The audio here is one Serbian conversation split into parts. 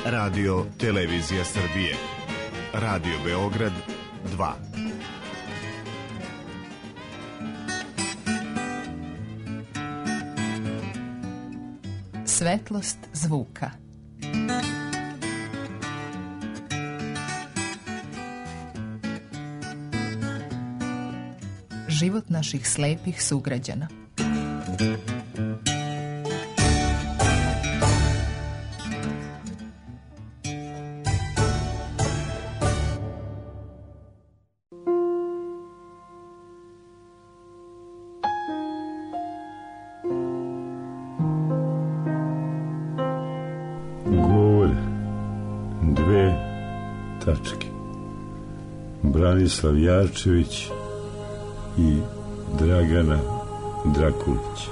Radio Televizija Srbije. Radio Beograd 2. Svetlost zvuka. Život naših slepih sugrađana. Branislav Jarčević i Dragana Drakulić.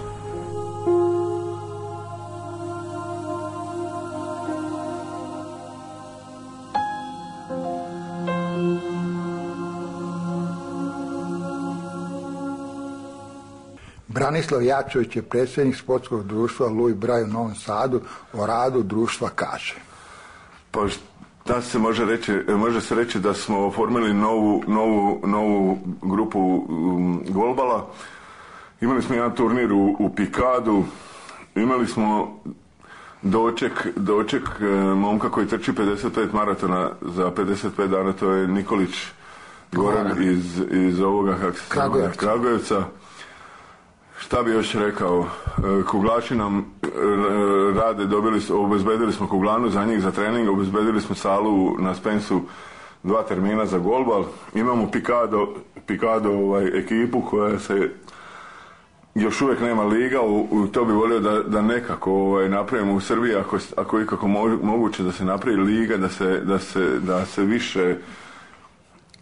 Branislav Jarčević je predsjednik sportskog društva Louis Braille u Novom Sadu. O radu društva kaže. Pa da se može se reći da smo oformili novu grupu golbala. Imali smo jedan turnir u Pikadu, imali smo doček momka koji trči 55 maratona za 55 dana, to je Nikolić Goran iz ovoga Kragujevca. Šta bi još rekao, kuglaši nam rade, obezbedili smo kuglanu za njih za trening, obezbedili smo salu na Spensu 2 termina za golbal, imamo Pikado ekipu koja se još uvijek nema liga, to bi volio da nekako napravimo u Srbiji, ako je ikako moguće da se napravi liga, da se više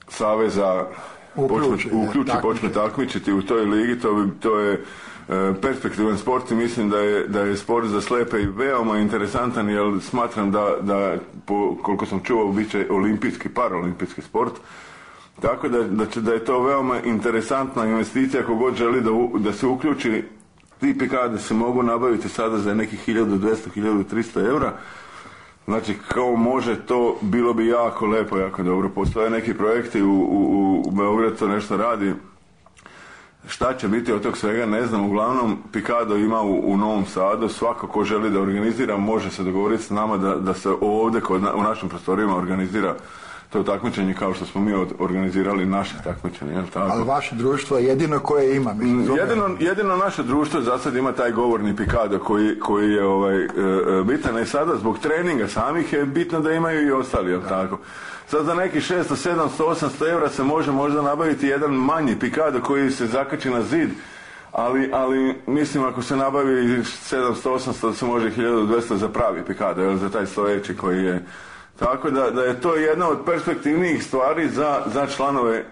saveza počne takmičiti u toj ligi. To je perspektivan sport i mislim da je sport za slepe i veoma interesantan, jer smatram da koliko sam čuo bit će olimpijski, paraolimpijski sport, tako da je to veoma interesantna investicija. Ako god želi da se uključi, ti pikade se mogu nabaviti sada za nekih 1200-1300 eura. Znači, kao može to, bilo bi jako lepo, jako dobro. Postoje neki projekti u Beogradu, to nešto radi. Šta će biti od tog svega, ne znam. Uglavnom, Pikado ima u Novom Sadu. Svako ko želi da organizira, može se dogovoriti s nama da se ovdje u našim prostorijama organizira to takmičenje, kao što smo mi organizirali naše takmičenje. Jel tako? Ali vaše društvo je jedino koje ima. Jedino naše društvo za sad ima taj govorni Pikado koji je bitan, i sada zbog treninga samih je bitno da imaju i ostali, jel tako? Sad za neki 600, 700, 800 eura se može možda nabaviti jedan manji Pikado koji se zakači na zid, ali mislim ako se nabavi 700, 800 da se može 1200 za pravi Pikado, jel, za taj stojeći koji je. Tako da je to jedna od perspektivnijih stvari za članove.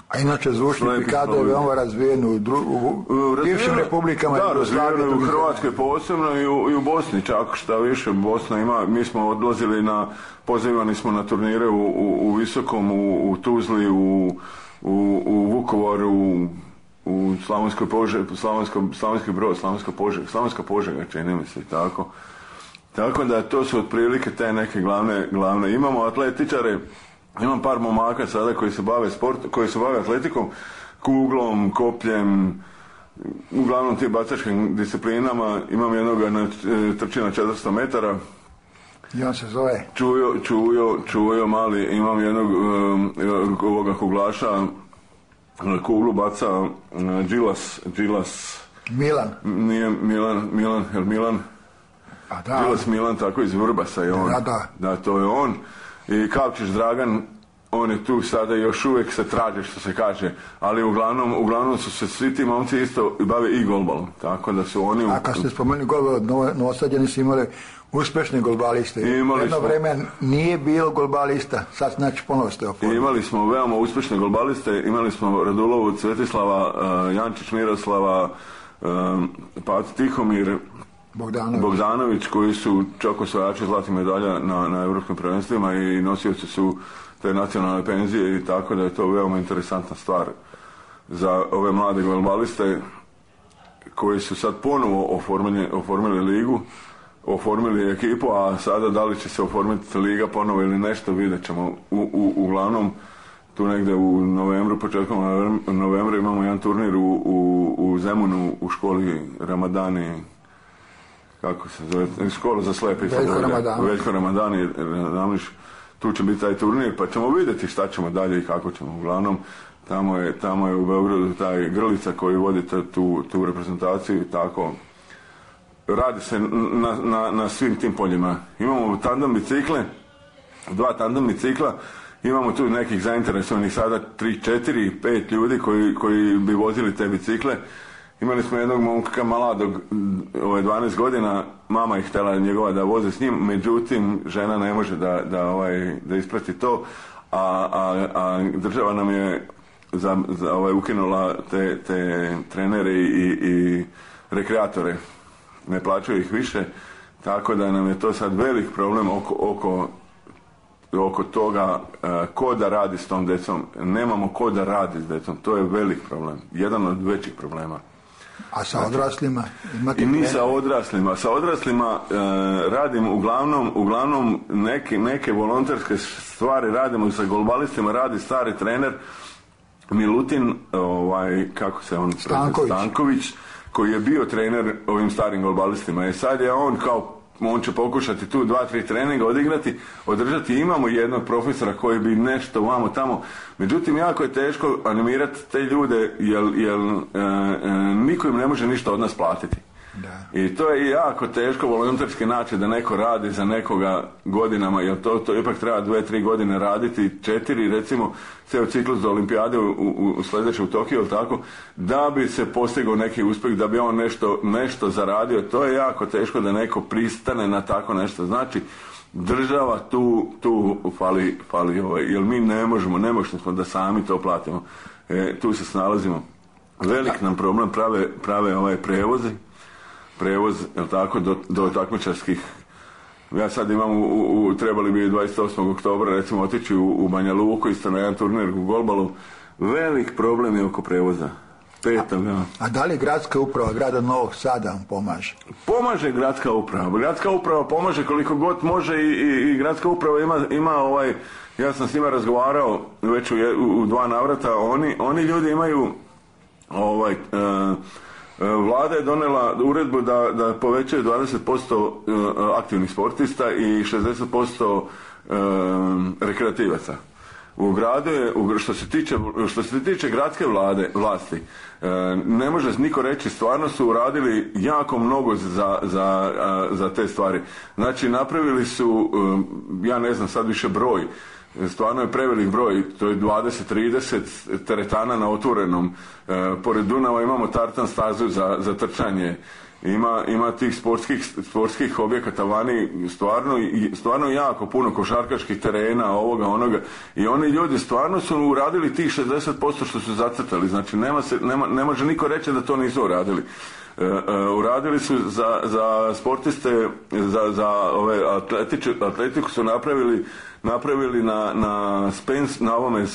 A inače zvučni Pikado je veoma razvijen u bivšim republikama. Da, razvijen u Hrvatskoj posebno i u Bosni čak, šta više Bosna ima. Mi smo odlazili pozivani smo na turnire u Visokom, u Tuzli, u Vukovaru, u Slavonskoj Požegi, Slavonski Brod, Slavonska Požega, čini mi se, tako. Tako da to su otprilike te neke glavne. Imamo atletičare, imam par momaka sada koji se bave atletikom, kuglom, kopljem, uglavnom tim bacačkim disciplinama. Imam jednoga trči na 400 metara. I on se zove? Čujo mali. Imam jednog ovoga kuglaša, kuglu baca Đilas. Milan? Nije Milan. Đilas Milan, tako iz Vrbasa je on. Da, to je on. I Kavčić Dragan, on je tu sada, još uvijek se traži, što se kaže, ali uglavnom su se svi ti momci isto bave i golbalom, tako da su oni. A kad ste spomenuli golbal, Novosađani su imali uspješne golbaliste. Jedno vreme nije bilo golbalista, sad znači ponovo ste oformili. Imali smo veoma uspješne golbaliste, imali smo Radulovu Cvetislava, Jančić Miroslava, Pat Tihomir, Bogdanović, koji su čak osvajači zlatih medalja na europskim prvenstvima i nosioci su te nacionalne penzije, i tako da je to veoma interesantna stvar za ove mlade golbaliste koji su sad ponovo oformili ligu oformili ekipu, a sada da li će se oformiti liga ponovo ili nešto, vidjet ćemo. Uglavnom, tu negdje u novembru, početkom novembra imamo jedan turnir u Zemunu u školi Ramadani, kako se zove, škola za slepe. Veljko Ramadani, tu će biti taj turnir, pa ćemo vidjeti šta ćemo dalje i kako ćemo. Uglavnom, tamo je u Beogradu taj Grlica koji vodi tu reprezentaciju i tako. Radi se na svim tim poljima. Imamo tandem bicikle, 2 tandem bicikla, imamo tu nekih zainteresovanih sada 3, 4, 5 ljudi koji bi vozili te bicikle. Imali smo jednog momka mladog, 12 godina, mama je htjela njegova da voze s njim, međutim žena ne može da isprati to, a država nam je ukinula te trenere i rekreatore. Ne plaćaju ih više, tako da nam je to sad velik problem oko toga ko da radi s tom decom. Nemamo ko da radi s decom, to je velik problem, jedan od većih problema. A sa odraslima? I mi sa odraslima. Sa odraslima radim uglavnom neke volonterske stvari radimo sa golbalistima, radi stari trener Milutin, Stanković, koji je bio trener ovim starim golbalistima. I sad je on će pokušati tu 2-3 treninga održati. Imamo jednog profesora koji bi nešto vamo tamo. Međutim, jako je teško animirati te ljude jer niko im ne može ništa od nas platiti. Da. I to je jako teško volonterski način da neko radi za nekoga godinama, jer to ipak treba 2-3 godine raditi, 4 recimo, ceo ciklus do olimpijade u sljedeće u Tokiju, tako, da bi se postigao neki uspjeh, da bi on nešto zaradio. To je jako teško da neko pristane na tako nešto. Znači, država tu fali jer mi nemoćni smo da sami to platimo. Tu se snalazimo. Velik nam problem prave prevoz, jel tako, do takmičarskih. Ja sad imam, trebali bi 28. oktobra recimo otići u Banja Luku, isto na jedan turnir u golbalu. Velik problem je oko prevoza. A da li gradska uprava grada Novog Sada vam pomaže? Pomaže gradska uprava. Gradska uprava pomaže koliko god može i gradska uprava ima ja sam s njima razgovarao već u 2 navrata, oni ljudi imaju Vlada je donela uredbu da povećaju 20% aktivnih sportista i 60% rekreativaca. U gradu je, što se tiče gradske vlasti, ne može niko reći, stvarno su uradili jako mnogo za te stvari. Znači, napravili su, ja ne znam sad više broj, stvarno je prevelik broj, to je 20-30 teretana na otvorenom. Pored Dunava imamo tartan stazu za trčanje. Ima tih sportskih objekata vani, stvarno jako puno košarkaških terena, ovoga, onoga. I oni ljudi stvarno su uradili tih 60% što su zacrtali. Znači, ne može niko reći da to nisu uradili. Uradili su za sportiste, za ove atletiku su napravili na Spence, na ovome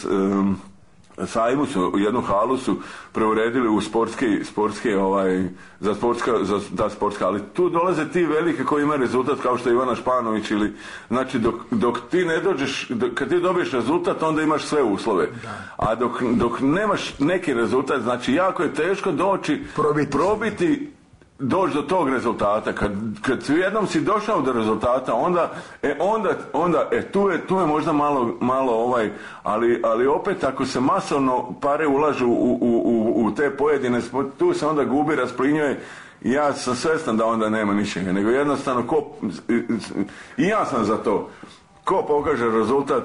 sajmu su, jednu halu su preuredili u sportski sportska, ali tu dolaze ti velike koji imaju rezultat kao što je Ivana Španović ili, znači dok ti ne dođeš, kad ti dobiješ rezultat onda imaš sve uslove, a dok nemaš neki rezultat, znači jako je teško probiti doći do tog rezultata. Kad jednom si došao do rezultata, onda tu je možda malo ali opet ako se masovno pare ulažu u te pojedine, tu se onda gubi, rasplinjuje. Ja sam svjestan da onda nema ničega, nego jednostavno i ja sam za to. Ko pokaže rezultat,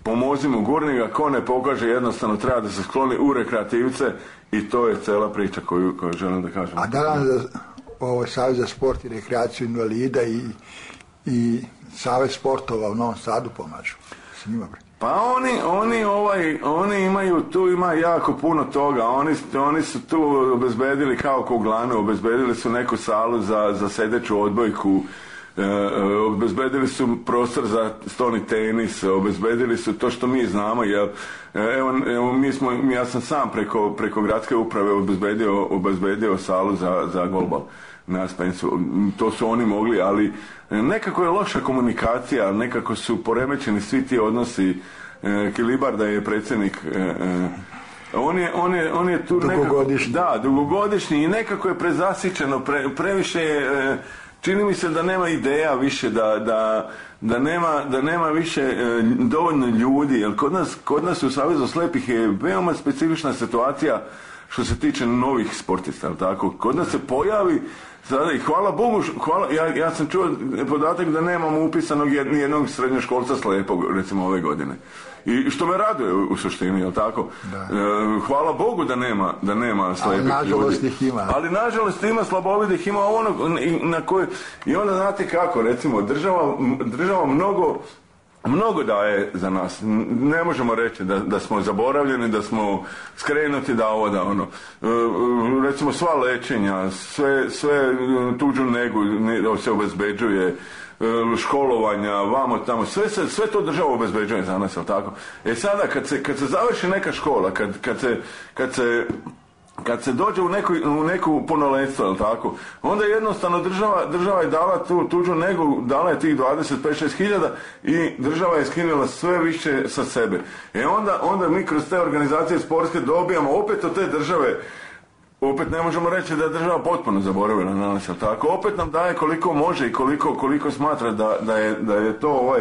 pomozimo gurnika, ko ne pokaže, jednostavno treba da se skloni u rekreativce i to je cela priča koju želim da kažem. A da nam Savez za sport i rekreaciju invalida i Savez sportova u Novom Sadu pomažu s njima? Pa oni imaju, tu ima jako puno toga, oni su tu obezbedili kao Koglanu, obezbedili su neku salu za sedeću odbojku, obezbedili su prostor za stolni tenis, obezbedili su to što mi znamo, jer ja sam sam preko gradske uprave obezbedio salu za golbal. na Spensu. To su oni mogli, ali nekako je loša komunikacija, nekako su poremećeni svi ti odnosi. Kilibarda je predsjednik, on je tu dugogodišnji. Dugogodišnji i nekako je prezasićeno, previše je, čini mi se da nema ideja više, da nema više dovoljno ljudi, jer kod nas u Savezu slepih je veoma specifična situacija što se tiče novih sportista, tako? Kod nas se pojavi sada i hvala Bogu, ja sam čuo podatak da nemamo upisanog nijednog srednjoškolca slepog, recimo ove godine. I što me raduje u suštini, jel tako? Hvala Bogu da nema slepih ljudi. Ali nažalost ih ima. Ali nažalost ima slabovidih, ima ono na koje... I onda znate kako, recimo, država mnogo daje za nas. Ne možemo reći da smo zaboravljeni, da smo skrenuti, da ovo, da ono. Recimo sva lečenja, sve tuđu negu se obezbeđuje, školovanja, vamo tamo, sve to država obezbeđuje za nas, jel tako? Sada kad se završi neka škola, kad se dođe u neku punoletstvo, jel tako, onda jednostavno država je dala tu tuđu negu, dala je tih 25-6 hiljada i država je skinula sve više sa sebe. Onda mi kroz te organizacije sportske dobijamo opet od te države. Opet ne možemo reći da je država potpuno zaboravila na nas, tako? Opet nam daje koliko može i koliko smatra da je to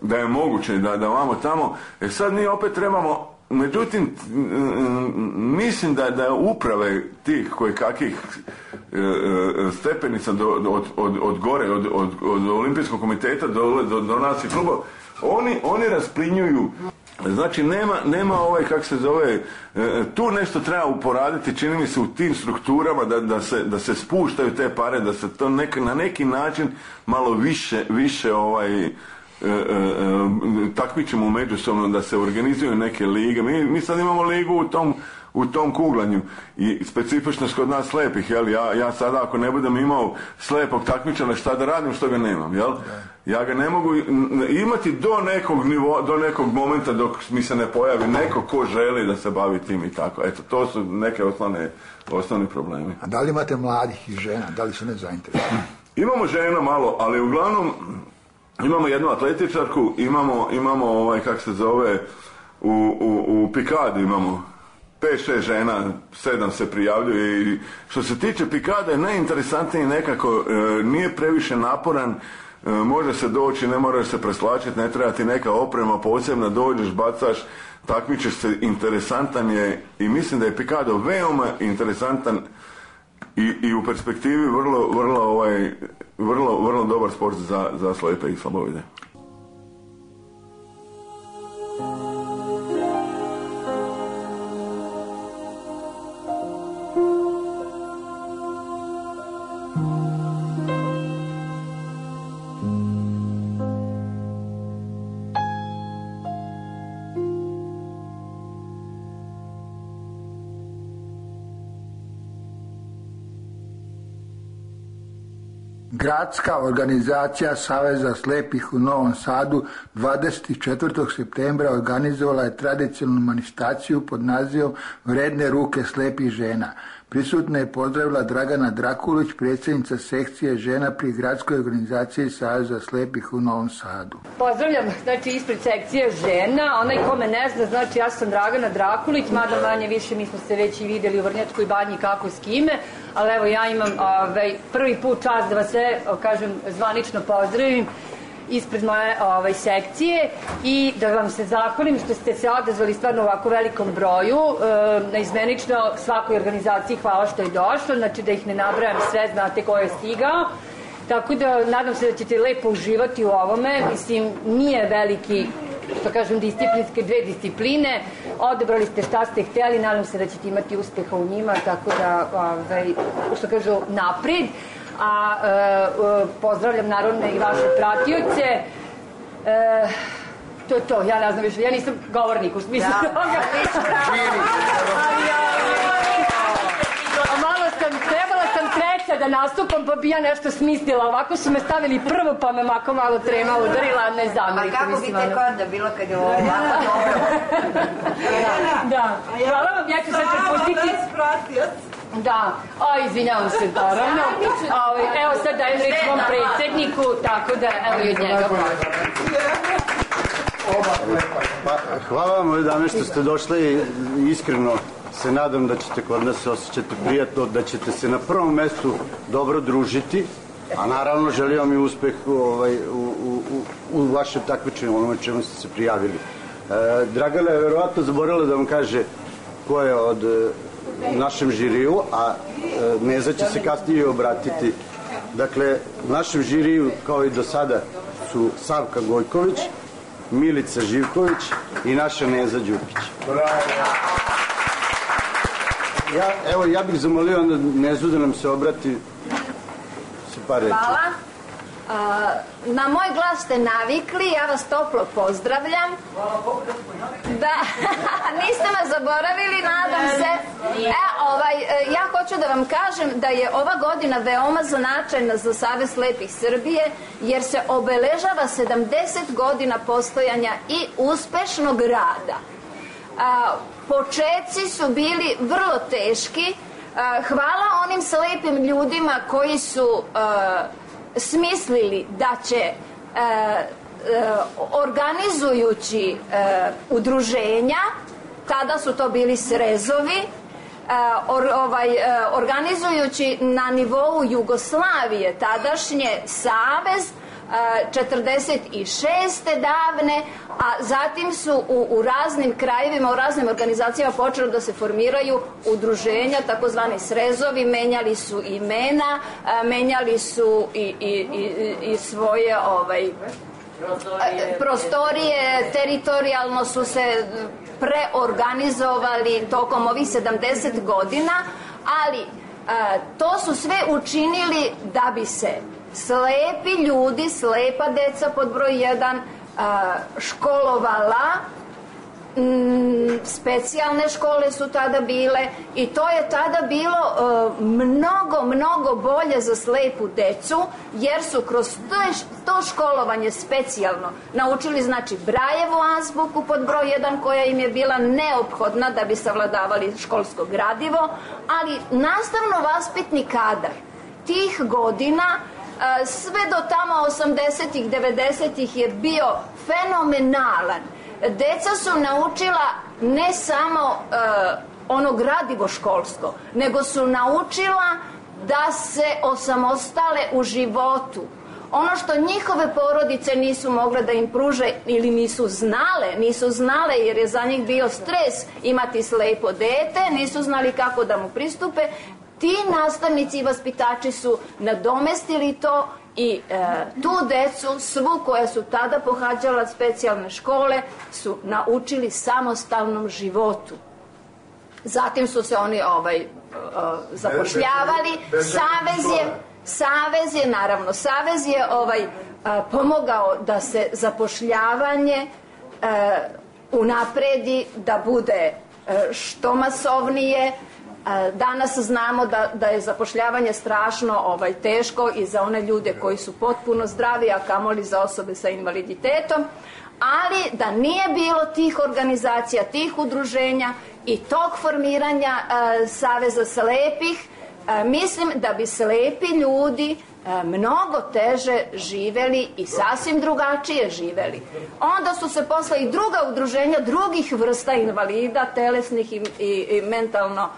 da je moguće, da vamo tamo. Sad mi opet trebamo, međutim, mislim da uprave tih kojekakvih stepenica od gore, od Olimpijskog komiteta do nas i kluba, oni rasplinjuju. Znači nema kako se zove, tu nešto treba uporaditi, čini mi se u tim strukturama da se spuštaju te pare, da se to na neki način malo više takmičimo međusobno, da se organizuju neke lige. Mi sad imamo ligu u tom kuglanju i specifičnost kod nas slepih, jel? Ja sada ako ne budem imao slepog takmičara, šta da radim što ga nemam, jel? Ja ga ne mogu imati do nekog momenta dok mi se ne pojavi neko ko želi da se bavi tim i tako. Eto, to su neke osnovni problemi. A da li imate mladih i žena? Da li su nezainteresovani? Imamo žena malo, ali uglavnom imamo jednu atletičarku, imamo kako se zove, u Pikadi imamo 5-6 žena, 7 se prijavljuje i što se tiče Pikade najinteresantniji nekako, nije previše naporan, može se doći, ne moraš se preslačiti, ne treba ti neka oprema posebna, dođeš, bacaš, takmičeš se, interesantan je i mislim da je Pikado veoma interesantan i u perspektivi vrlo dobar sport za slepe i slabovide. Gradska organizacija Saveza slepih u Novom Sadu 24. septembra organizovala je tradicionalnu manifestaciju pod nazivom Vredne ruke slepih žena. Prisutna je pozdravila Dragana Drakulić, predsjednica sekcije žena pri Gradskoj organizaciji Saveza slepih u Novom Sadu. Pozdravljam, znači, ispred sekcije žena. Onaj ko me ne zna, znači, ja sam Dragana Drakulić, mada manje više mi smo se već i vidjeli u Vrnjačkoj banji kako s kime, ali evo ja imam prvi put čast da vas sve, kažem, zvanično pozdravim ispred moje sekcije i da vam se zahvalim što ste se odazvali stvarno u ovako velikom broju. Naizmenično svakoj organizaciji hvala što je došlo, znači da ih ne nabrajam sve, znate ko je stigao. Tako da nadam se da ćete lepo uživati u ovome. Mislim, nije veliki, što kažem, disciplinske dve discipline. Odebrali ste šta ste htjeli, nadam se da ćete imati uspeha u njima, tako da, što kažu, napred. A pozdravljam naravno i vaše pratioce. To je to, ja ne znam više, ja nisam govornik u smislu toga. Trebala sam treća da nastupam, pa bi ja nešto smislila. Ovako su me stavili prvo, pa me mako malo trema udarila, ne zamerite. A kako bi tek onda bilo kad je ovo ovako dobro? Da, hvala vam, ja ću sad prepustiti. Da, izvinjavam se, naravno. Evo sad dajem reč mom predsjedniku, tako da evo i od njega. Hvala vam, dame, što ste došli. Iskreno se nadam da ćete kod nas osjećati prijatno, da ćete se na prvom mestu dobro družiti, a naravno želim vam i uspeh u vašem takmičenju, onome čemu ste se prijavili. Dragana je verovatno zaboravila da vam kaže ko je od našem žiriju, a Neza će se kasnije obratiti. Dakle, u našem žiriju, kao i do sada, su Savka Gojković, Milica Živković i naša Neza Đukić. Ja bih zamolio onda Nezu da nam se obrati sa par reči. Hvala. Na moj glas ste navikli, ja vas toplo pozdravljam. Da, niste me zaboravili, nadam se. Ja hoću da vam kažem da je ova godina veoma značajna za Savez slepih Srbije, jer se obeležava 70 godina postojanja i uspešnog rada. Početci su bili vrlo teški. Hvala onim slepim ljudima koji su smislili da će organizujući udruženja, tada su to bili srezovi, organizujući na nivou Jugoslavije tadašnje savez 46. davne, a zatim su u raznim krajevima, u raznim organizacijama počeli da se formiraju udruženja, takozvani srezovi, menjali su imena, menjali su i svoje prostorije, teritorijalno su se preorganizovali tokom ovih 70 godina, ali to su sve učinili da bi se slepi ljudi, slepa deca pod broj 1 školovala. Specijalne škole su tada bile i to je tada bilo mnogo bolje za slepu decu, jer su kroz to školovanje specijalno naučili, znači, Brajevu azbuku pod broj 1, koja im je bila neophodna da bi savladavali školsko gradivo, ali nastavno-vaspitni kadar tih godina sve do tamo 80-ih, 90-ih je bio fenomenalan. Deca su naučila ne samo ono gradivo školsko, nego su naučila da se osamostale u životu. Ono što njihove porodice nisu mogle da im pruže ili nisu znale jer je za njih bio stres imati slepo dete, nisu znali kako da mu pristupe. Ti nastavnici i vaspitači su nadomestili to i tu decu, svu koja su tada pohađala specijalne škole, su naučili samostalnom životu. Zatim su se oni zapošljavali. Savez je pomogao da se zapošljavanje unapredi, da bude što masovnije. Danas znamo da je zapošljavanje strašno teško i za one ljude koji su potpuno zdravi, a kamoli za osobe sa invaliditetom, ali da nije bilo tih organizacija, tih udruženja i tog formiranja Saveza slepih, mislim da bi slepi ljudi mnogo teže živeli i sasvim drugačije živeli. Onda su se posle i druga udruženja drugih vrsta invalida, telesnih i mentalno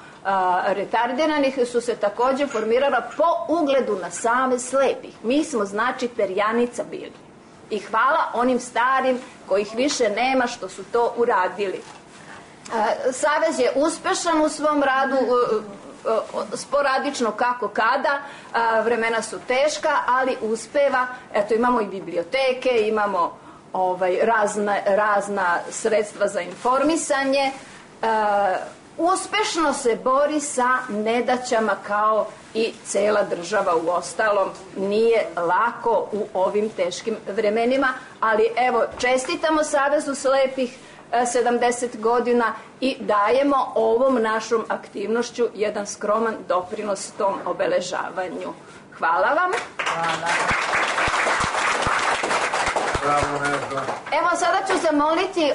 retardiranih, su se takođe formirala po ugledu na Savez slepih. Mi smo, znači, perjanica bili. I hvala onim starim kojih više nema što su to uradili. Savez je uspešan u svom radu, sporadično kako kada, vremena su teška, ali uspeva. Eto, imamo i biblioteke, imamo razna sredstva za informisanje. Uspešno se bori sa nedaćama kao i cela država. U ostalom, nije lako u ovim teškim vremenima, ali evo, čestitamo Savezu slepih 70 godina i dajemo ovom našom aktivnošću jedan skroman doprinos tom obeležavanju. Hvala vam. Evo sada ću zamoliti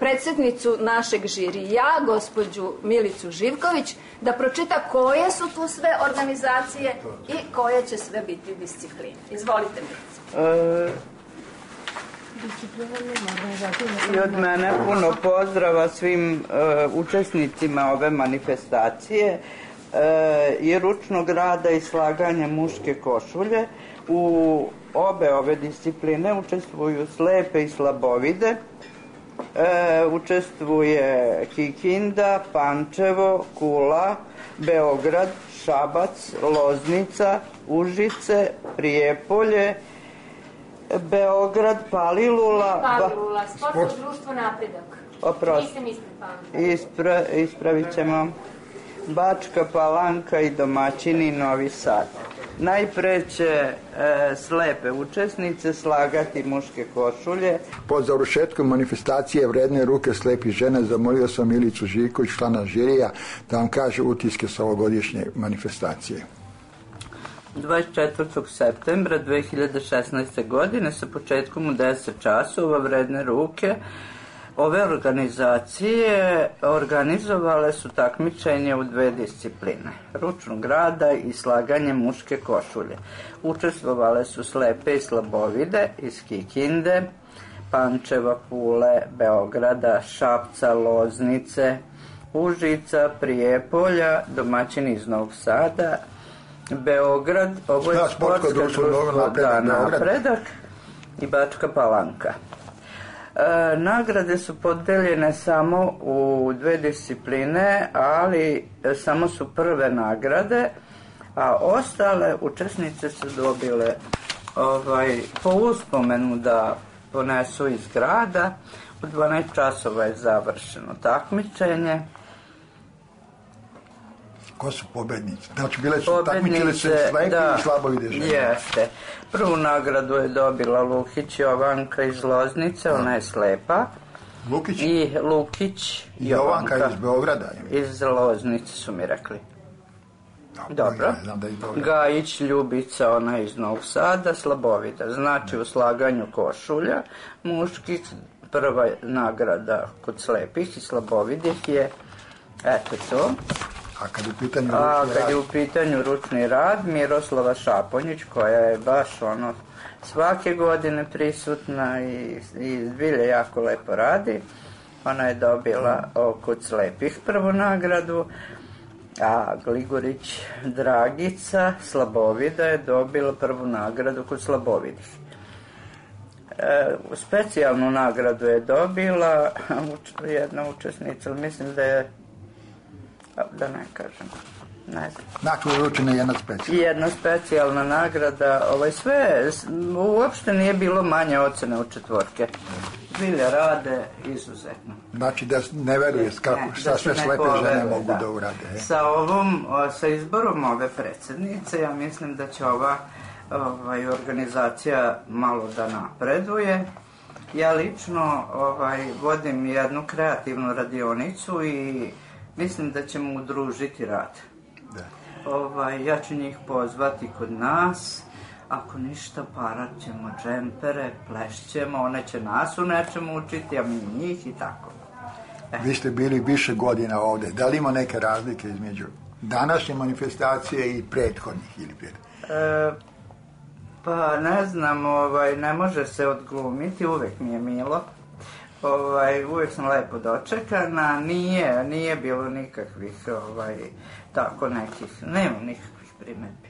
predsjednicu našeg žirija, gospođu Milicu Živković, da pročita koje su tu sve organizacije i koje će sve biti discipline. Izvolite, Milica. I od mene puno pozdrava svim učesnicima ove manifestacije i ručnog rada i slaganja muške košulje. U obe ove discipline učestvuju slepe i slabovide. Učestvuje Kikinda, Pančevo, Kula, Beograd, Šabac, Loznica, Užice, Prijepolje, Beograd, Palilula, Sportsko društvo Napredak. Oprosti. Ispravit ćemo. Bačka Palanka i domaćini Novi Sad. Najpre će slepe učesnice slagati muške košulje. Po završetku manifestacije Vredne ruke slepih žena zamolio sam Milicu Živković, člana žirija, da vam kaže utiske sa ovogodišnje manifestacije. 24. septembra 2016. godine sa početkom u 10 časova Vredne ruke ove organizacije organizovale su takmičenje u dve discipline, ručnog rada i slaganje muške košulje. Učestvovale su slepe i slabovide iz Kikinde, Pančeva, Kule, Beograda, Šapca, Loznice, Užica, Prijepolja, domaćini iz Novog Sada, Beograd, ovo je sportsko društvo Napredak i Bačka Palanka. Nagrade su podeljene samo u dve discipline, ali samo su prve nagrade, a ostale učesnice su dobile po uspomenu da ponesu iz grada. U 12 časova je završeno takmičenje. Ko su pobednici? Znači, takmičile se slepi i slabovide žene. Jeste. Prvu nagradu je dobila Lukić Jovanka iz Loznice, ona je slepa. Lukić? I Lukić Jovanka iz Beograda. Iz Loznice su mi rekli. Dobro. Gajić Ljubica, ona je iz Novog Sada, slabovida. Znači, u slaganju košulja muških prva nagrada kod slepih i slabovidih je eto to. A kad je u pitanju ručni rad, Miroslava Šaponjić, koja je baš svake godine prisutna i zbilje jako lepo radi. Ona je dobila kod slepih prvu nagradu, a Gligorić Dragica, slabovida, je dobila prvu nagradu kod slabovidih. Specijalnu nagradu je dobila jedna učesnica, mislim da je, da ne kažem, ne znam. Znači, uručena je jedna specijalna nagrada. Sve, uopšte nije bilo manje ocene od četvorke. Zbilja rade izuzetno. Znači, da ne veruje šta sve slepe žene mogu da urade. Sa izborom ove predsjednice, ja mislim da će ova organizacija malo da napreduje. Ja lično vodim jednu kreativnu radionicu i mislim da ćemo udružiti rad. Ja ću njih pozvati kod nas, ako ništa parat ćemo džempere, plešćemo, one će nas u nečemu učiti, a mi njih i tako. Vi ste bili više godina ovde, da li ima neke razlike između današnje manifestacije i prethodnih ili Pa ne znam, ne može se odglumiti, uvek mi je milo. Uvijek sam lepo dočekana, nije bilo nikakvih tako nekih, nema nikakvih primjedbi.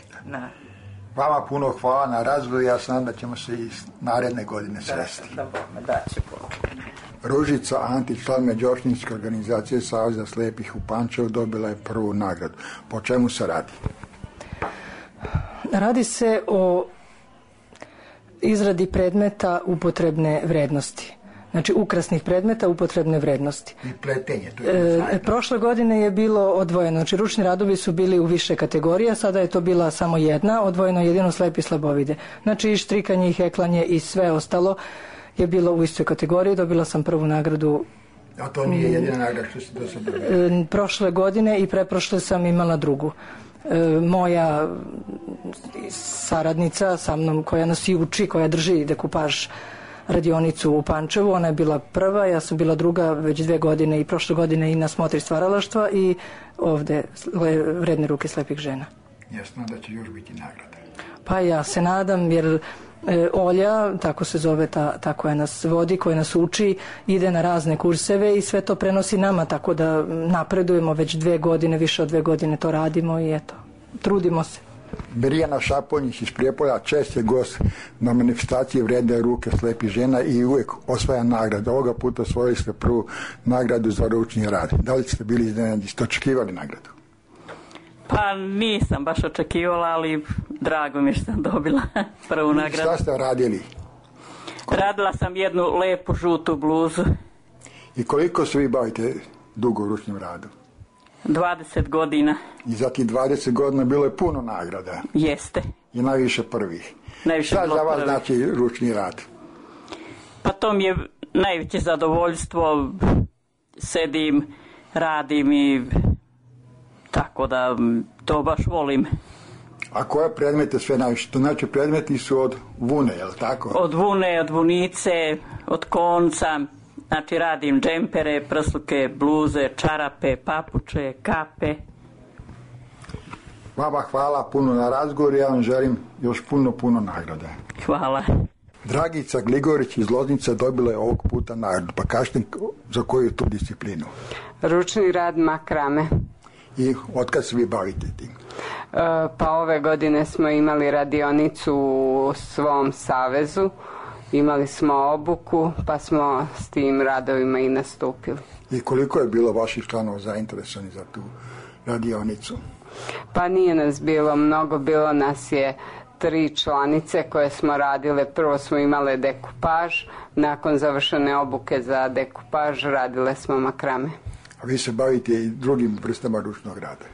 Vama puno hvala na razvoju, ja znam da ćemo se i naredne godine sresti. Da će Bog. Ružica Antić, član Međoopštinske organizacije Saveza slepih u Pančevu, dobila je prvu nagradu. Po čemu se radi? Radi se o izradi predmeta upotrebne vrednosti. Znači, ukrasnih predmeta upotrebne vrednosti. I pletenje. Prošle godine je bilo odvojeno. Znači, ručni radovi su bili u više kategorija, sada je to bila samo jedna, odvojeno jedino slepi i slabovide. Znači, i štrikanje, i heklanje, i sve ostalo je bilo u istoj kategoriji. Dobila sam prvu nagradu. A to nije jedina nagrada što se do sada dobila? Prošle godine i preprošle sam imala drugu. Moja saradnica sa mnom koja nas i uči, koja drži dekupaž radionicu u Pančevu, ona je bila prva, ja sam bila druga već 2 godine i prošle godine i na smotri stvaralaštva i ovde Vredne ruke slepih žena. Jasno da će još biti nagrada. Pa ja se nadam, jer Olja, tako se zove ta koja nas vodi, koja nas uči, ide na razne kurseve i sve to prenosi nama, tako da napredujemo već 2 godine, više od 2 godine to radimo i eto, trudimo se. Mirjana Šaponjić iz Prijepolja čest je gost na manifestaciji Vredne ruke slepih žena i uvijek osvaja nagradu. Ovoga puta osvojili ste prvu nagradu za ručni rad. Da li ste bili iznenadni, ste očekivali nagradu? Pa nisam baš očekivala, ali drago mi je što sam dobila prvu nagradu. Šta ste radili? Radila sam jednu lepu žutu bluzu. I koliko se vi bavite dugo u ručnim radom? 20 godina. I za tih 20 godina bilo je puno nagrada. Jeste. I najviše prvih. Najviše šta za vas znači ručni rad? Pa to mi je najveće zadovoljstvo. Sedim, radim i tako da to baš volim. A koje predmete sve najviše? To znači predmeti su od vune, je li tako? Od vune, od vunice, od konca. Znači radim džempere, prsluke, bluze, čarape, papuče, kape. Vama hvala puno na razgovor, ja vam želim još puno nagrada. Hvala. Dragica Gligorić iz Loznice dobila je ovog puta nagradu, pa kažete za koju tu disciplinu? Ručni rad makrame. I otkad se vi bavite tim? Pa ove godine smo imali radionicu u svom savezu. Imali smo obuku, pa smo s tim radovima i nastupili. I koliko je bilo vaših članova zainteresovani za tu radionicu? Pa nije nas bilo mnogo, bilo nas je 3 članice koje smo radile. Prvo smo imale dekupaž, nakon završene obuke za dekupaž radile smo makrame. A vi se bavite i drugim vrstama ručnog rada?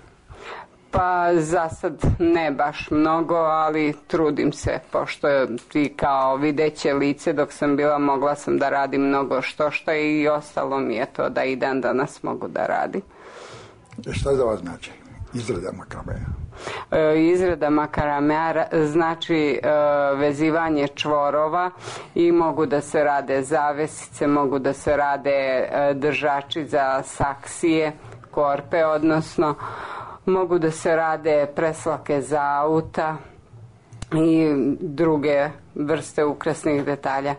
Pa za sad ne baš mnogo, ali trudim se, pošto i kao videće lice dok sam bila mogla sam da radim mnogo što i ostalo mi je to da i dan danas mogu da radim. Šta za vas znači izrada makramea? Izrada makramea znači vezivanje čvorova i mogu da se rade zavesice, mogu da se rade držači za saksije, korpe odnosno. Mogu da se rade preslake za auta i druge vrste ukrasnih detalja.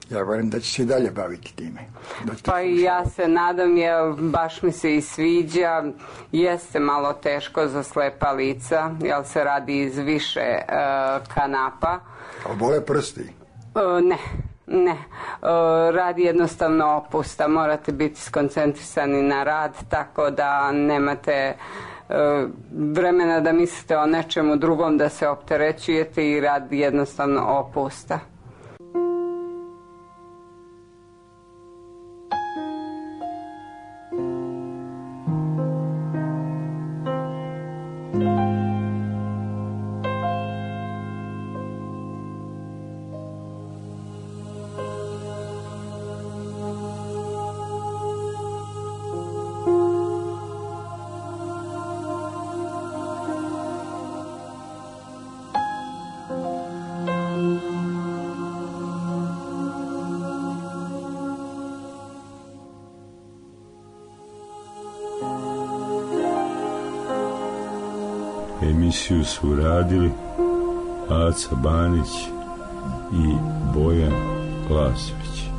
Ja verujem da će se i dalje baviti time. Pa i ja se nadam, jer baš mi se i sviđa. Jeste malo teško za slepa lica, jer se radi iz više kanapa. Ali bole prsti? Ne. Radi jednostavno opusta. Morate biti skoncentrisani na rad, tako da nemate vremena da mislite o nečemu drugom, da se opterećujete i rad jednostavno opusta. Emisiju su radili Aca Banić i Bojan Lasović.